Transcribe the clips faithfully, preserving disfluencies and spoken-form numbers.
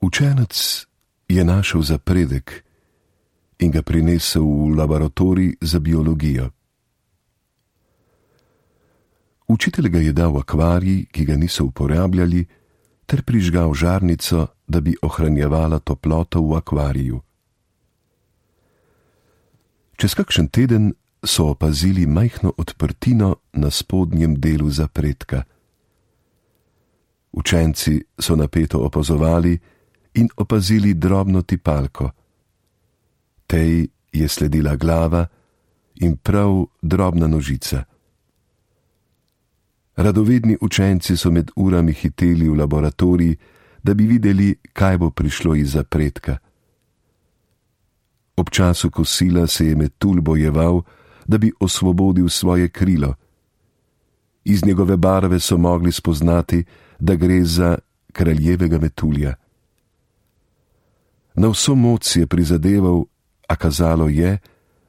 Učenec je našel zapredek in ga prinesel v laboratorij za biologijo. Učitelj ga je dal v akvarij, ki ga niso uporabljali, ter prižgal žarnico, da bi ohranjevala toploto v akvariju. Čez kakšen teden so opazili majhno odprtino na spodnjem delu zapredka. Učenci so napeto opazovali in opazili drobno tipalko. Tej je sledila glava in prav drobna nožica. Radovedni učenci so med urami hiteli v laboratorij, da bi videli, kaj bo prišlo iz zapredka. Ob času kosila se je metulj bojeval, da bi osvobodil svoje krilo. Iz njegove barve so mogli spoznati, da gre za kraljevega metulja. Na vso moč si je prizadeval, a kazalo je,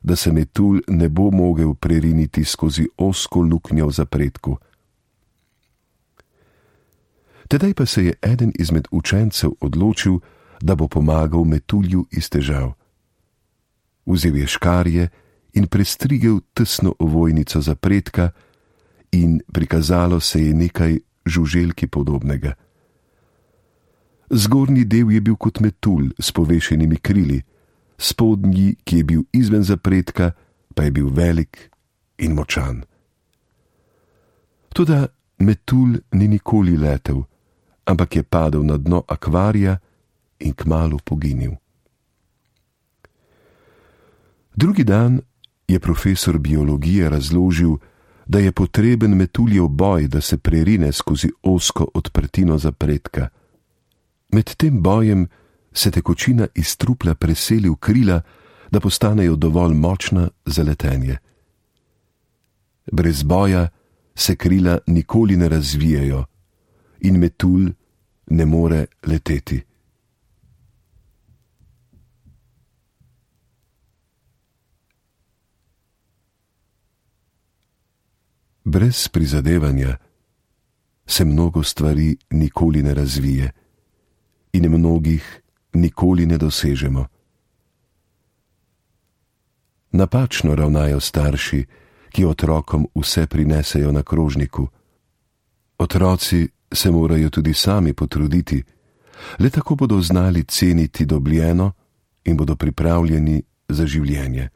da se metulj ne bo mogel preriniti skozi ozko luknjo v zapredku. Tedaj pa se je eden izmed učencev odločil, da bo pomagal metulju iz težav. Vzel je škarje in prestrigel tesno ovojnico zapredka in prikazalo se je nekaj žuželki podobnega. Zgornji del je bil kot metulj s povešenimi krili, spodnji, ki je bil izven zapredka, pa je bil velik in močan. Toda metulj ni nikoli letel, ampak je padel na dno akvarija in kmalu poginil. Drugi dan je profesor biologije razložil, da je potreben metuljev boj, da se prerine skozi ozko odprtino zapredka. Med tem bojem se tekočina iz trupla preseli v krila, da postanejo dovolj močna za letenje. Brez boja se krila nikoli ne razvijajo in metulj ne more leteti. Brez prizadevanja se mnogo stvari nikoli ne razvije in mnogih nikoli ne dosežemo. Napačno ravnajo starši, ki otrokom vse prinesejo na krožniku. Otroci se morajo tudi sami potruditi, le tako bodo znali ceniti dobljeno in bodo pripravljeni za življenje.